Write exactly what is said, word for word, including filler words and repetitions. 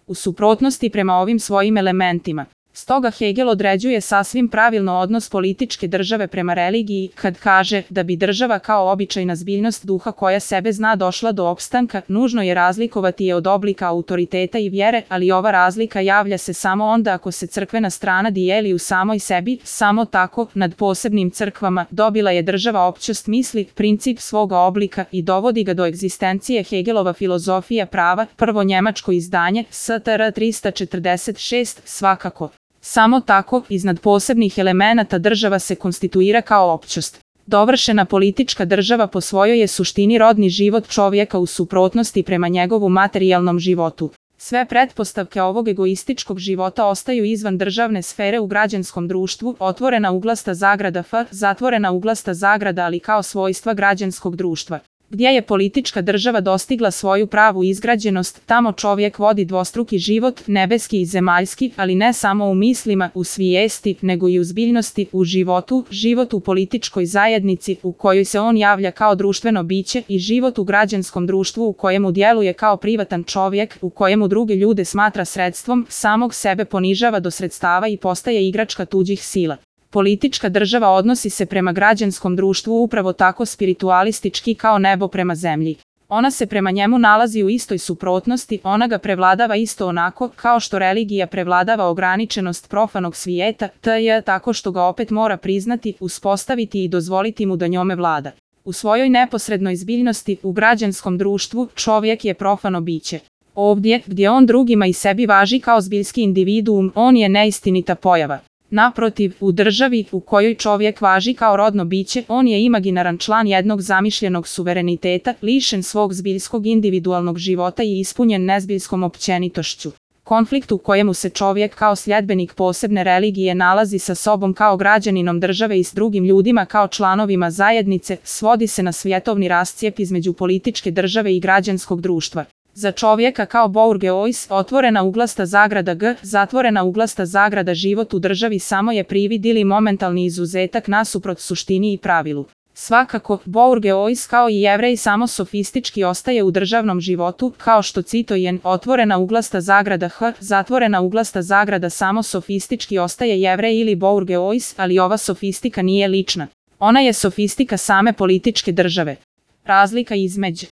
u suprotnosti prema ovim svojim elementima. Stoga Hegel određuje sasvim pravilno odnos političke države prema religiji, kad kaže da bi država kao običajna zbiljnost duha koja sebe zna došla do opstanka, nužno je razlikovati je od oblika autoriteta i vjere, ali ova razlika javlja se samo onda ako se crkvena strana dijeli u samoj sebi, samo tako, nad posebnim crkvama, dobila je država općost misli, princip svoga oblika i dovodi ga do egzistencije. Hegelova filozofija prava, prvo njemačko izdanje, S T R trista četrdeset šest, svakako. Samo tako, iznad posebnih elemenata država se konstituira kao općost. Dovršena politička država po svojoj je suštini rodni život čovjeka u suprotnosti prema njegovu materijalnom životu. Sve pretpostavke ovog egoističkog života ostaju izvan državne sfere u građanskom društvu, otvorena uglasta zagrada F, zatvorena uglasta zagrada ali kao svojstva građanskog društva. Gdje je politička država dostigla svoju pravu izgrađenost, tamo čovjek vodi dvostruki život, nebeski i zemaljski, ali ne samo u mislima, u svijesti, nego i u zbiljnosti, u životu, život u političkoj zajednici u kojoj se on javlja kao društveno biće i život u građanskom društvu u kojemu djeluje kao privatan čovjek, u kojemu druge ljude smatra sredstvom, samog sebe ponižava do sredstava i postaje igračka tuđih sila. Politička država odnosi se prema građanskom društvu upravo tako spiritualistički kao nebo prema zemlji. Ona se prema njemu nalazi u istoj suprotnosti, ona ga prevladava isto onako kao što religija prevladava ograničenost profanog svijeta, tj. tako što ga opet mora priznati, uspostaviti i dozvoliti mu da njome vlada. U svojoj neposrednoj zbiljnosti, u građanskom društvu, čovjek je profano biće. Ovdje, gdje on drugima i sebi važi kao zbiljski individuum, on je neistinita pojava. Naprotiv, u državi u kojoj čovjek važi kao rodno biće, on je imaginaran član jednog zamišljenog suvereniteta, lišen svog zbiljskog individualnog života i ispunjen nezbiljskom općenitošću. Konflikt u kojemu se čovjek kao sljedbenik posebne religije nalazi sa sobom kao građaninom države i s drugim ljudima kao članovima zajednice, svodi se na svjetovni rascijep između političke države i građanskog društva. Za čovjeka kao bourgeois, otvorena uglasta zagrada G, zatvorena uglasta zagrada život u državi samo je privid ili momentalni izuzetak nasuprot suštini i pravilu. Svakako, bourgeois kao i jevrej samo sofistički ostaje u državnom životu, kao što citojen, otvorena uglasta zagrada H, zatvorena uglasta zagrada samo sofistički ostaje jevrej ili bourgeois, ali ova sofistika nije lična. Ona je sofistika same političke države. Razlika između